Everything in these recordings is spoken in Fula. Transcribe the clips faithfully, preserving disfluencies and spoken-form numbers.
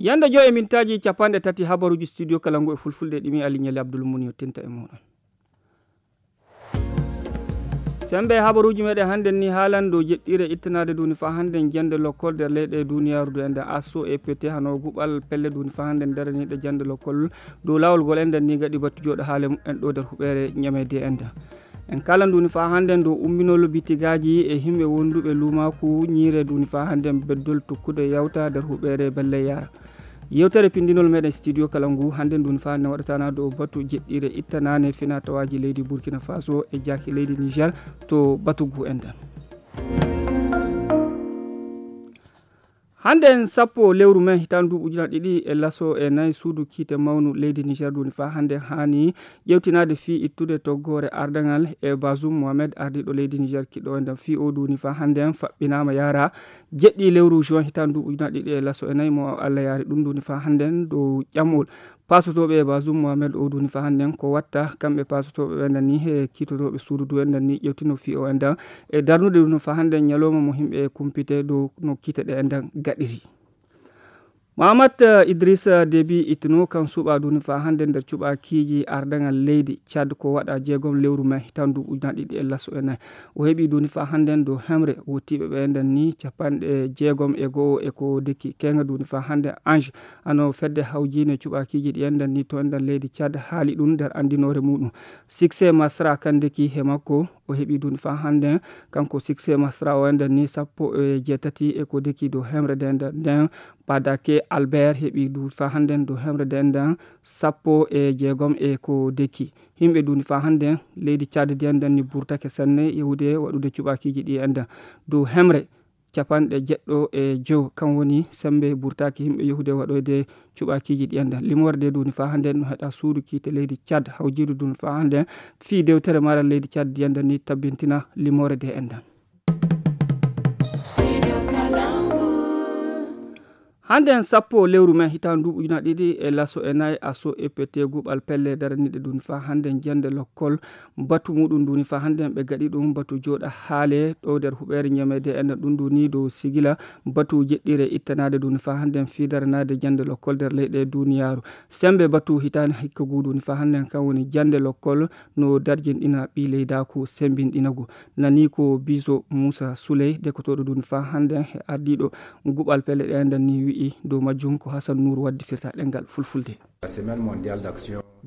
Ñande joy e mintaaji capanɗe tati habaruuji studio kala ngu e fulfulde ɗimi Ali Ñali Abdul Muni yottinta e muɗum. Sembe habaruuji meɗen hannden ni haalan dow jeɗɗiire ittanaade duuni faa hannden jannde lokkol nder leyɗe duuniyaaru du enden asso e pete hano guɓal pelle duuni faa hannden daraniiɗe jannde lokkol dow laawol ngol enden ni gaɗi battu jooɗo haale mumen ɗo nder huɓeere ñameede enden. En kaalan duuni faa hannden dow umminol bitigaaji e himɓe wonduɓe luumaaku ñiire duuni faa hannden beddol tokkude yawta nder huɓeere belle yaara. Yewtere pindinol meɗen studio kala ngu hannden duuni faa hannden waɗatana dow batu jeɗɗiire ittanaane fina tawaaji leydi Burkina Faso e jaaki leydi Niger to batu ngu enden. Hannden sappo lewru men hitaande duuɓi ujunaaji ɗiɗi e laso e nayi suudu kiite mawnu leydi Niger duuni faa hannden haani ƴewtinaade fii ittude toggoore ardaŋal e Bazoum Mohamed ardiiɗo leydi Niger kiɗɗo enden fii o duuni faa hannden faɓɓinaama yaara jeɗɗi lewru juin hitaande duuɓi ujunaaji ɗiɗi e laso e nayi mo Allah yaari ɗum duuni faa hannden dow ƴamol. Paasotooɓe e Bazoum Mohamed o duuni faa hannden ko watta kamɓe paasotooɓe ɓe enden ni e kiitotooɓe suudu du enden ni ƴewtino fii o enden e darnude duuni faa hannden ñalooma mo himɓe kumpite dow no kiite ɗe enden gaɗiri. Mahamat Idrissa Déby ittino kan suɓa duuni faa hannden nder cuɓakiiji ardaŋal leydi Tchad ko waɗa jeegom lewru men hitaande duuɓi ujunaaji ɗiɗi e laso e nayi. O heɓi duuni faa hannden dow hemre wottiiɓe ɓe enden ni capanɗe jeegom e go'o e ko dekki keeŋa duuni faa hannden Ange ano fedde hawjiine cuɓakiiji ɗi enden ni to enden leydi Tchad haali ɗum nder anndinoore muɗum. Succès Masra kan dekki he makko o heɓi duuni faa hannden kanko Succès Masra o enden ni sappo e jeetati e ko dekki dow hemre nden nden Padake Albert heɓi duuni faa hannden dow hemre nden nden sappo e jeegom e ko dekki. Himɓe duuni faa hannden leydi Tchad ndi enden ni burtake sanne yahude waɗude cuɓakiiji ɗi enden dow hemre capanɗe jeɗɗo e jow kan woni sembe burtaki himɓe yahude waɗoyde cuɓakiiji ɗi enden limoore de duuni faa hannden no heɗa suudu kiite leydi Tchad hawjiidu duuni faa hannden fii dewtere maral leydi Tchad ndi enden ni tabbintina limoore de enden. Hannden sappo lewru men hitaande duuɓi ujunaaji ɗiɗi e laso e nayi asso E P T guɓal pelle daraniiɗe duuni faa hannden jannde lokkol batu muɗum duuni faa hannden ɓe gaɗi ɗum batu jooɗa haale ɗo nder huɓeere ñameede enden ɗum duuni dow sigila batu jeɗɗiire ittanaade duuni faa hannden fii daranaade jannde lokkol nder leyɗe duuniyaaru. Sembe batu hitaande hikka ngu duuni faa hannden kan woni jannde lokkol no darjinɗina ɓii leydaaku sembinɗinagu. Nani ko Biso Muusa Suley, dekotooɗo duuni faa hannden he ardiiɗo guɓal pelle ɗe enden ni wi'i dow majjum ko Hasan Nuur waddi firta ɗemngal fulfulde.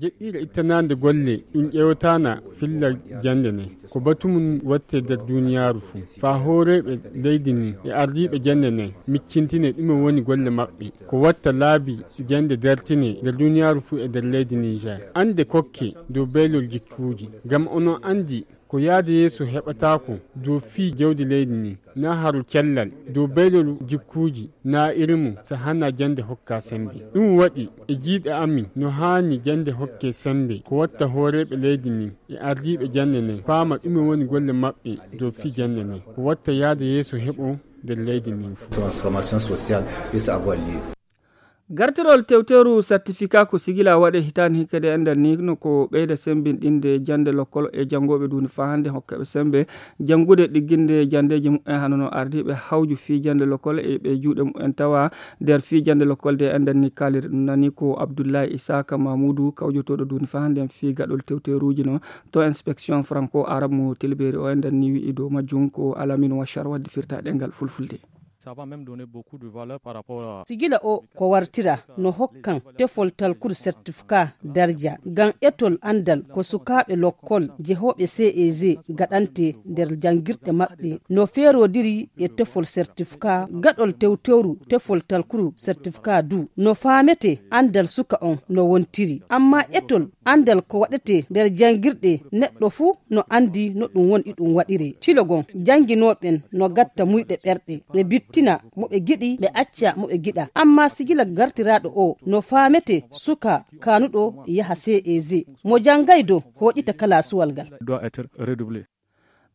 Jeɗɗiire ittanaande golle ɗum ƴeewtaana filla jannde nden. Ko batu mum watte nder duuniyaaru fuu. Faa hooreeɓe leydi ndin e ardiiɓe jannde nden miccintine ɗume woni golle maɓɓe. Ko watta laabi jannde dartine nder duuniyaaru fuu e nder leydi Niger. Annde kokke dow beylol jikkuuji. Ngam onon anndi ko yaade yeeso heɓataako dow fii jawdi leydi ndin, naa haru cellal, dow beylol jikkuuji, naa irin mum, so hanaa jannde hokka semmbe. Ɗum waɗi e jiiɗe amin no haani jannde hokke semmbe ko watta hooreeɓe leydi ndin e ardiiɓe jannde nden paama ɗume woni golle maɓɓe dow fii jannde nden. Ko watta yaade yeeso heɓo nder leydi ndin fuu. Transformation sociale puisse avoir lieu. Gartirol tewteeru certificat ko sigila waɗe hitaande hikka de enɗan ni no ko ɓeyda semmbinɗinde jannde lokkol e janngooɓe duuni faa hannde hokkaɓe semmbe janngude ɗigginde janndeeji mumen hano no ardiiɓe hawju fii jannde lokkol e ɓe juuɗe mumen tawa nder fii jannde lokkol de enɗan ni kaaliri ɗum nani ko Abdullahi Isaka Mamudu kawjotooɗo duuni faa hannde fii gaɗol tewteeruuji no to inspection franco arabe mo tilberi o enɗan ni wi'i dow majjum ko Alamin Washar waddi firta ɗemngal fulfulde. Ça va même donner beaucoup de valeur par rapport à. Sigila o ko wartira no hokkan tefol talkuru certificat darja ngam etol anndal ko sukaaɓe lokkol jehooɓe C E G gaɗante nder janngirɗe maɓɓe no feerodiri e tefol certificat gaɗol tewtewru tefol talkuru certificat du no faamete anndal suka on no wontiri amma etol anndal ko waɗete nder janngirɗe neɗɗo fuu no anndi no ɗum woni ɗum waɗire. Cilogon jannginooɓen no gatta muyɗe ɓerɗe ɓe bittina mo ɓe giɗi ɓe acca mo ɓe giɗa amma sigila gartiraaɗo o no faamete suka kaanuɗo yaha C E G mo janngay dow hooƴita kalaasuwal ngal. Doit être redoublé.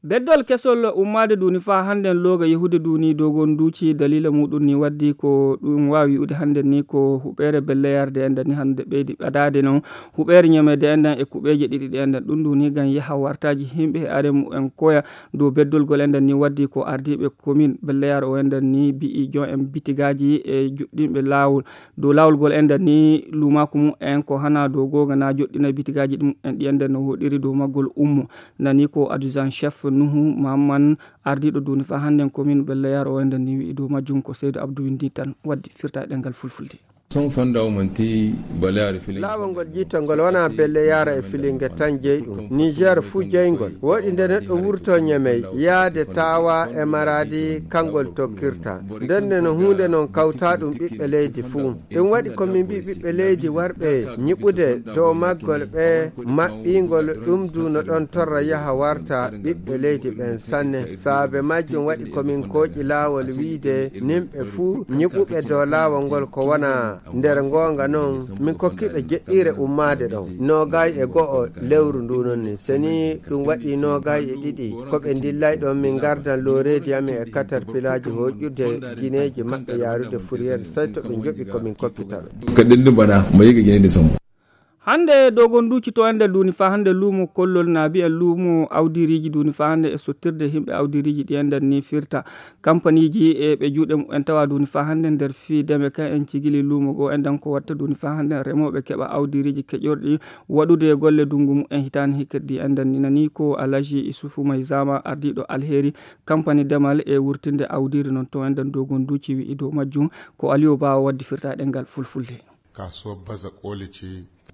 Beddol kesol ummaade duuni faa hannden looga yehude duuni dogon duuci daliila muuɗum ni waddi ko ɗum waawi wi'ude hannden ni ko huɓeere belleyarde enɗan ni hannde ɓeydi ɓadaade noon huɓeere ñameede enɗan e kuɓeeje ɗiɗi ɗe enɗan ɗum duuni ngam yaha wartaaji yimɓe e are mumen koya dow beddolgol enɗan ni waddi ko ardiiɓe komin belleyar o enɗan ni bi'i joom en bitigaaji e juɗɗinɓe laawol dow laawol ngol enɗan ni luumaaku mumen ko hana dow googa na joɗɗina bitigaaji ɗum en ɗi enɗan no woɗiri dow maggol ummo nani ko adjudant chef nuhu mahamman ardiiɗo duuni faa hannden komin belleyar o enɗan ni wi'i dow majjum ko seydo abdou windi tan waddi firta e ɗengal fulfulde. Son fanda o manti baleyaari filin. Laawol ngol jiitol ngol wonaa belle yaara e filinge tan jeyɗum niger fuu jeyngol woɗi nde neɗɗo wurto ñemey yaade taawa e maraadi kanngol tokkirta ndenne no huunde noon kawtaa ɗum ɓiɓɓe leydi fuu. Ɗum waɗi ko min mbii ɓiɓɓe leydi warɓe ñiɓude dow maggol ɓe maɓɓingol ɗum du no ɗon torra yaha warta ɓiɓɓe leydi ɓen sanne. Saabe majjum waɗi ko min kooƴi laawol wiide nimɓe fuu ñiɓuɓe dow laawol ngol ko wona nder ngoonga noon min kokkiɓe jeɗɗiire ummaade ɗon noogay e go'o lewru ndu noon ni. So ni ɗum waɗi noogay e ɗiɗi ko ɓe ndillay ɗon min ngardan looreedi amin e katarpilaaji hooƴude gineeji maɓɓe yaarude furyeer sey to ɓe njoɓi ko min kokkita ɓe. Ka ɗendu mbaɗa mo yiga gineede sombo. Hannde dogon duuci to enɗan duuni faa hannde luumo kollol na mbi'en luumo awdiiriiji duuni faa hannde e sottirde yimɓe awdiiriiji ɗi enɗan ni firta kampaniiji e ɓe juuɗe mumen tawa duuni faa hannde nder fii deme kan en cigili luumo goo enɗan ko watta duuni faa hannde remooɓe keɓa awdiiriiji keƴorɗi waɗude golle dunngu mumen hitaani hikirɗi enɗan ni nani ko alaji isufu maysama ardiiɗo alheeri kampani demal e wurtinde awdiiri noon to enɗan dogon duuci wi'i dow majjum ko aliyo baawa waddi firta ɗengal fulfulde. Kasuwar baza koli ce.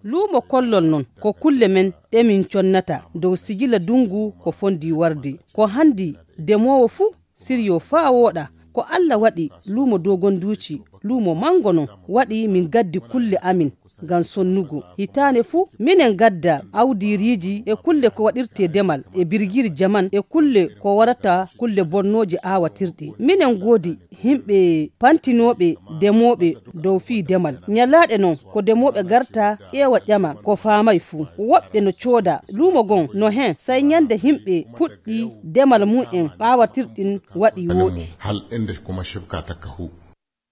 Luumo kollol noon ko kulle men ɗe min connata dow sigila dunngu ko fondi warde ko hanndi demoowo fuu siryo faa wooɗa ko allah waɗi luumo dogonduuci luumo manngo noon waɗi min gaddi kulle amin ngam sonnugo hitaande fuu minen gadda awdiiriiji e kulle ko waɗirtee demal e birgiri jaman e kulle ko warata kulle bonnooje aawatirɗe minen ngoodi yimɓe pantinooɓe demooɓe dow fii demal ñalaaɗe noon ko demooɓe garta ƴeewa ƴama ko faamay fuu woɓɓe no cooda luumo gon no heen say ñande yimɓe puɗɗi demal mumen ɓaawatirɗin waɗi wooɗi. Hal ende kuma shifka takka hu.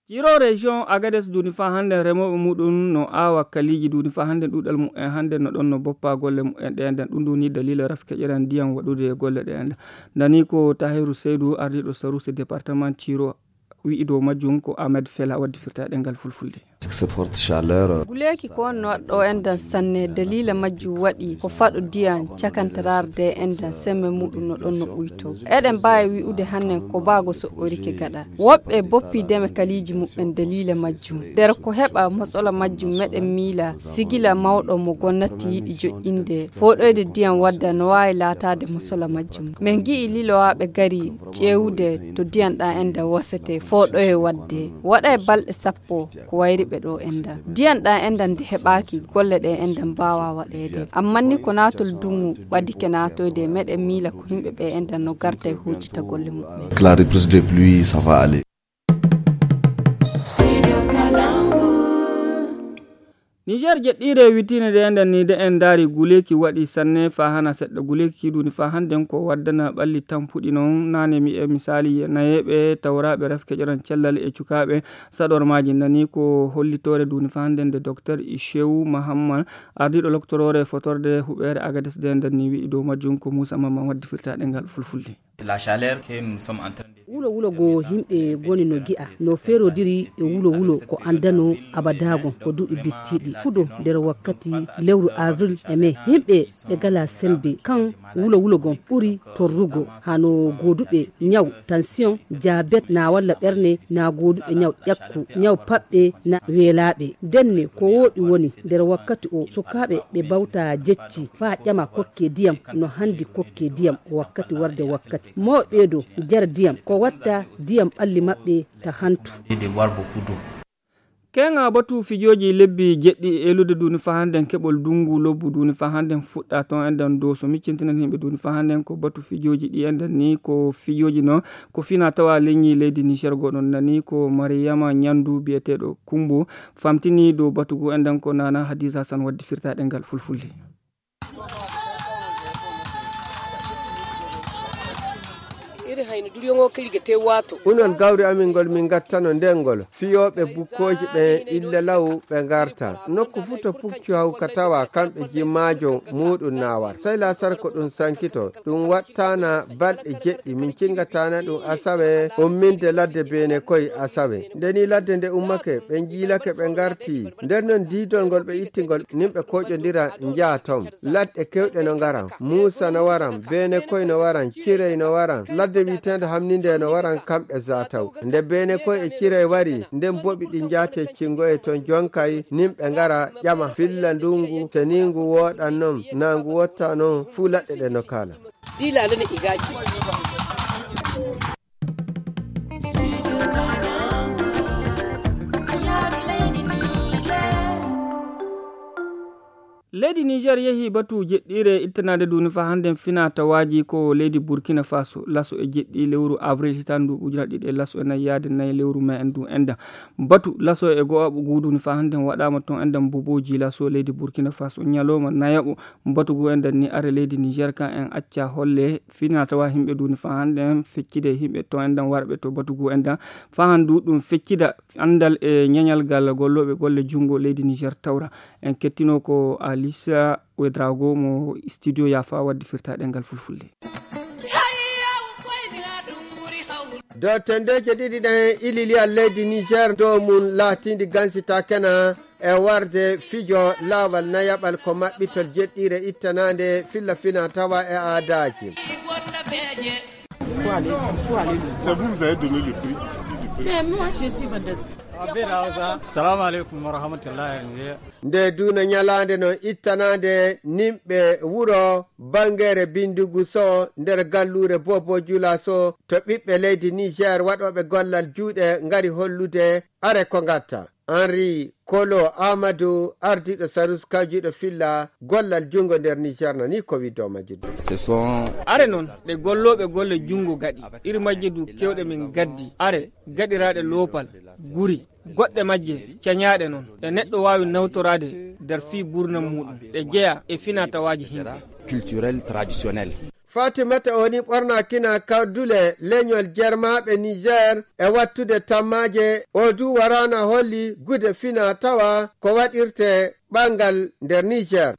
Ciro région agades duuni faa hannde remooɓe muɗum no aawa kaliiji duuni faa hannde ɗuuɗal mumen hannde no ɗon no boppa golle mumen ɗe enden ɗum duuni daliila rafkeƴeran ndiyam waɗude e golle ɗe enden. Nani ko Tahiru Seydu ardiiɗo sarusi département Ciro wi'i dow majjum ko Ahmed Fela waddi firta ɗengal fulfulde. Guleeki ko wonno waɗɗo endan sanne daliila majjum waɗi ko faɗo diyan cakantararde endan semme muɗum no ɗon no ɓuyto. Eɗen mbaawi wi'ude hannen ko baago soɓɓorike gaɗa. Woɓɓe boppi deme kaliiji muɓɓen daliila majjum. Nder ko heɓa mosola majjum meɗen miila sigila mawɗo mo gonnati yiɗi joƴƴinde fooɗoyde diyan wadda no waawi laataade mosola majjum. Min ngi'i lilowaaɓe gari ƴeewude to diyan ɗan endan wasete fooɗoye wadde. Waɗa e balɗe sappo ko wayri ɓe ɗo endan. Diyan ɗan endan nde heɓaaki golle ɗe endan mbaawa waɗeede. Amman ni ko naatol dungu ɓadike naatoyde meɗen miila ko yimɓe ɓe endan no garta e hujjita golle muɓɓen. Clari plus de pluie ça va aller. Niger jeɗɗiire wittiinde nde enden ni de en ndaari guleeki waɗi sanne faa hana seɗɗa guleeki kiiduuni faa hannden ko waddana ɓalli tampuɗi noon naane mi e misaali nayeeɓe tawraaɓe rafkeƴoran cellal e cukaaɓe saɗormaaji nani ko hollitoore duuni faa hannden nde docteur Ishewu Mahamman ardiiɗo loktoroore fotorde huɓeere Agades de enden ni wi'i dow majjum ko Muusa Mamman waddi firtaaɗe ngal fulfulde. La chaleur que nous sommes en train de wulo wulo go yimɓe goni no gi'a no ferodiri e wulo wulo ko andano abadago ko duɓi bittiɗi fuɗo nder wakkati lewru avril e mai yimɓe ɓe gala sembe kan wulo wulo gon ɓuri torrugo hano goduɓe nyaw tension jabet na walla ɓerne na goduɓe nyaw ƴakku nyaw paɓɓe na welaɓe denne ko woɗi woni nder wakkati o sukaɓe ɓe bawta jecci fa ƴama kokke diyam no handi kokke diyam wakkati warde wakkati mawɓe ɗo jara diyam ko watta diyam ɓalli maɓɓe ta hantu. Keŋa batu fijooji lebbi jeɗɗi elude duuni fa hannden keɓol dunngu lobbu duuni fa hannden fuɗɗa toon enɗen dow so miccintinan yimɓe duuni fa hannden ko batu fijooji ɗi enɗen ni ko fijooji noon ko fina tawa leñi leydi Niger goɗon nani ko Mariyama Ñandu biyeteeɗo Kumbo famtini dow batu ngu enɗen ko Nana Hadiza San waddi firtaɗe ngal fulfulde. Iri hayno duriyoŋo kadi ga te waato. Unol gawri amin ngol min gattano nden ngol. Fiyooɓe bukkooji ɓen illa law ɓe ngarta. Nokku fuu to puccu hawka tawa kamɓe jimaajo muuɗum na war. Sey laasar ko ɗum sankito. Ɗum waɗtaana balɗe jeɗɗi. Min cinngataana ɗum asawe umminde ladde Beene Koy asawe. Nde ni ladde nde ummake, ɓe njiilake ɓe ngarti. Nder non diidol ngol ɓe itti ngol, nin ɓe kooƴondira njaha ton. Ladde kewɗe no ngaran. Muusa no waran, Beene Koy no waran, Cirey no waran. Ladde wi'eteende Hamninde no waran kamɓe zaataw. Nde Beene Koy e Cirey wari, nden boɓi ɗi njaate cingoye ton jonkay, nin ɓe ngara ƴama filla ndungu, seniingu wooɗan non, naa ngu wotta non, fuu ladde ɗe no kaala. Ɗi laalane igaaji. Leydi Niger yehi batu jeɗɗiire ittanaade duuni faa hannden fina tawaaji ko leydi Burkina Faso. Laso e jeɗɗi lewru avril hitaande ndu ujunere ɗiɗi e laso e nayi yaade nayi lewru mai en ndu enda. Batu laso e go'aɓo guuduuni faa hannden waɗaama ton enda Mboboji laso leydi Burkina Faso. Ñalooma nayaɓo batu gu enda ni are leydi Niger kan en acca holle fina tawa himɓe duuni faa hannden feccide himɓe ton enda warɓe to batu gu enda faa handu ɗum feccida anndal e ñañal gal gollooɓe golle junngo leydi Niger tawra. En kettino ko Alisa Wedrago mo studio yaafa wadde firtaaɗe ngal fulfulde. Dow tendeeje ɗiɗi ɗen ililiyal leydi Niger dow mum laatiindi gansita kena e warde fijo laawal nayaɓal ko maɓɓitol jeɗɗiire ittanaande filla fina tawa e aadaaji. C'est vous, vous avez donné le prix. Mais moi, je suis vendeuse. Salamu alaikum wa rahmatullahi. Nde duuna ñalaande no ittanaande nimɓe wuro Bangere Bindugu so nder galluure Bobo Jula so to ɓiɓɓe leydi Niger waɗooɓe gollal juuɗe ngari hollude are ko ngatta. Henri Kolo Amadou, ardiiɗo Sarus kawjiiɗo filla gollal junngo nder Niger nani ko widdoo majjiddu. Ce sont are noon ɗe gollooɓe golle junngo gaɗi, iri majje du kewɗe min gaddi, are gaɗiraaɗe loopal, guri, goɗɗe majje cañaaɗe noon, ɗe neɗɗo waawi nawtoraade nder fii buurnam muuɗum, ɗe jeya e finaa tawaaji himɓe. Culturel, traditionnel. Fatimata o ni ɓorna kina kawdule leñol jermaaɓe Niger e wattude tammaaje. O du waraana holli gude fina tawa ko waɗirte ɓangal nder Niger.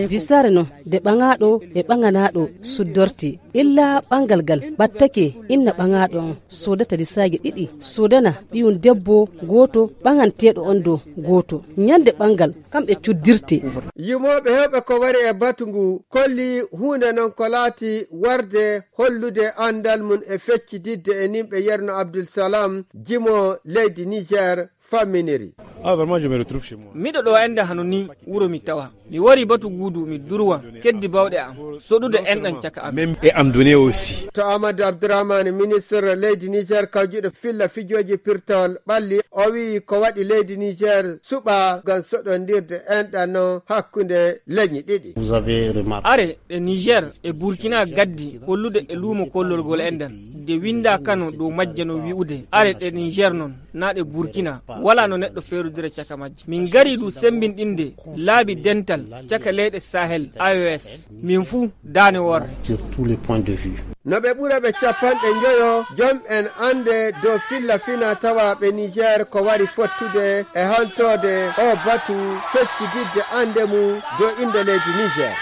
Disaare no de ɓaŋaaɗo e ɓaŋanaaɗo suddorte. Illa ɓangal gal ɓattake inna ɓaŋaaɗo on sodata disaaje ɗiɗi, sodana ɓiyum debbo gooto, ɓaŋanteeɗo on do gooto. Ñande ɓangal kamɓe cuddirte. Yimooɓe heewɓe ko wari e batu ngu kolli huunde non ko laati warde hollude anndal mum e feccididde e nimɓe Yerno Abdul Salam, jimo leydi Niger, famminiri. Ah, vraiment, je me retrouve chez moi. Miɗo ɗo enda hano ni wuro mi tawa. Mi wari batu guudu mi durwa keddi bawɗe am. Soɗude enɗan caka am. Même et en donner aussi. To Amadou Abdourahmane, ministre leydi Niger kawjuɗo filla fijooji pirtol ɓalli, o wi'i ko waɗi leydi Niger suɓa ngam soɗondirde enɗan non hakkunde leñi ɗiɗi. Vous avez remarqué. Are ɗe Niger e Burkina gaddi hollude e luumo kollol gol enɗan. De winda kano dow majje no wi'ude. Are ɗe Niger non, na ɗe Burkina. Wala no neɗɗo feerudira caka majje. Min ngari du sembinɗinde laabi dental caka leyɗe Sahel, A E S. Min fuu daane worre. Sur tous les points de vue. No ɓe ɓura ɓe capanɗe njoyo, jom en annde dow filla fina tawaaɓe Niger ko wari fottude e haltoode o batu feccitidde annde mum dow innde leydi Niger.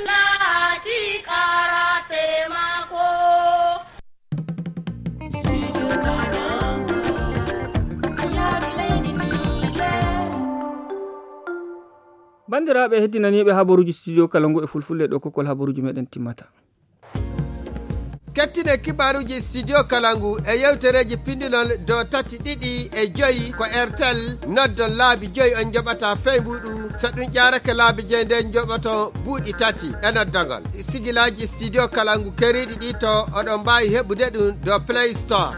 Banndiraaɓe heddinaniiɓe habaruuji studio kala ngu e fulfulde ɗo kokkol habaruuji meɗen timmata. Kettine kibaruuji studio kala ngu e yewtereeji pindinol do tati ɗiɗi e joyi ko Airtel noddon laabi joyi on njoɓata fey mbuɗu. So ɗum ƴaarake laabi joyi nden njoɓoton buuɗi tati e noddagol. Sigilaaji studio kala ngu keriiɗi ɗi to oɗon mbaawi heɓude ɗum do Play Store.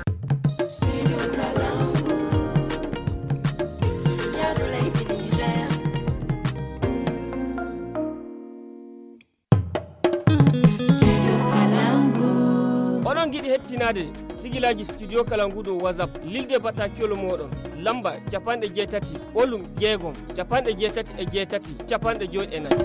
Oɗon ngiɗi hettinaade sigilaaji studio kala ngu dow WhatsApp, lilde batakiyol mooɗon, lamba capanɗe jeetati, ɓolum jeegom, capanɗe jeetati e jeetati, capanɗe joyi e nayi.